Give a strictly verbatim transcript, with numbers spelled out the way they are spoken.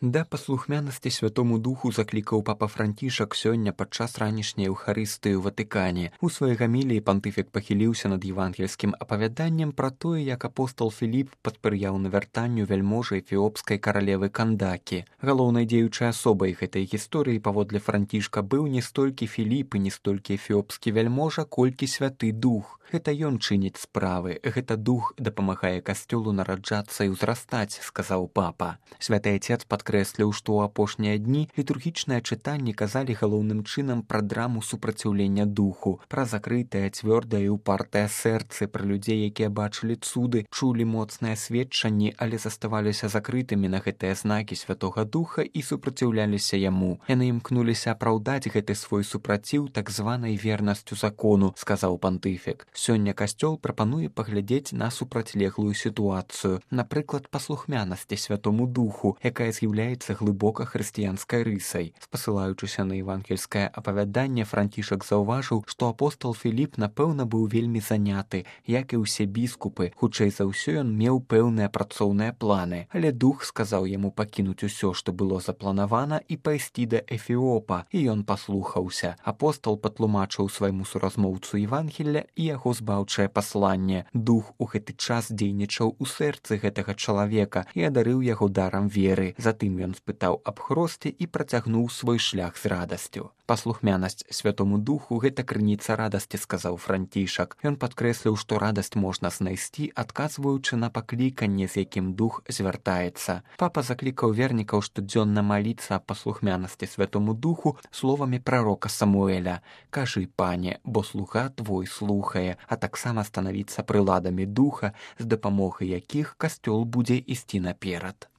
Да паслухмянасці Святому Духу заклікаў папа Францішак сёння падчас ранішняй Еўхарыстыі ў Ватыкане. У сваёй гаміліі пантыфік пахіліўся над евангельскім апавяданнем пра тое, як апостол Філіп паспрыяў навяртанню вяльможы эфіопскай каралевы Кандакі. Галоўнай дзеючай асобай гэтай гісторыі паводле Францішка быў не столькі Філіп і не столькі эфіопскі вяльможа, колькі Святы Дух. Гэта ён чыніць справы, гэта Дух дапамагае касцёлу нараджацца і ўзрастаць, сказаў папа. Святы Ацец падкрэсліў, што ў апошнія дні літургічныя чытанні казалі галоўным чынам пра драму супраціўлення духу, пра закрытае, цвёрдае і упартае сэрцы, пра людзей, якія бачылі цуды, чулі моцныя сведчанні, але заставаліся закрытымі на гэтыя знакі Святога Духа і супраціўляліся яму. Яны імкнуліся апраўдаць гэты свой супраціў так званай вернасцю закону, сказаў пантыфік. Сёння касцёл прапануе паглядзець на супрацьлеглую сітуацыю, напрыклад, паслухмянасці Святому Духу, якая з'яўляецца глыбока хрысціянскай рысай. Спасылаючыся на евангельскае апавяданне, Францішак заўважыў, што апостол Філіп, напэўна, быў вельмі заняты, як і ўсе біскупы. Хутчэй за ўсё ён меў пэўныя працоўныя планы, але Дух сказаў яму пакінуць усё, што было запланавана, і пайсці да Эфіопа, і ён паслухаўся. Апостол патлумачыў свайму суразмоўцу Евангелля і яго збаўчае пасланне. Дух у гэты час дзейнічаў у сэрцы гэтага чалавека і адарыў яго дарам веры. Затым ён спытаў аб хросце і працягнуў свой шлях з радасцю. Паслухмянасць Святому Духу — гэта крыніца радасці, сказаў Францішак. Ён падкрэсліў, што радасць можна знайсці, адказваючы на пакліканне, з якім дух звяртаецца. Папа заклікаў вернікаў штодзённа маліцца аб паслухмянасці Святому Духу словамі прарока Самуэля: «Кажы, пане, бо слуга твой слухае», а таксама станавіцца прыладамі духа, з дапамогай якіх касцёл будзе ісці наперад.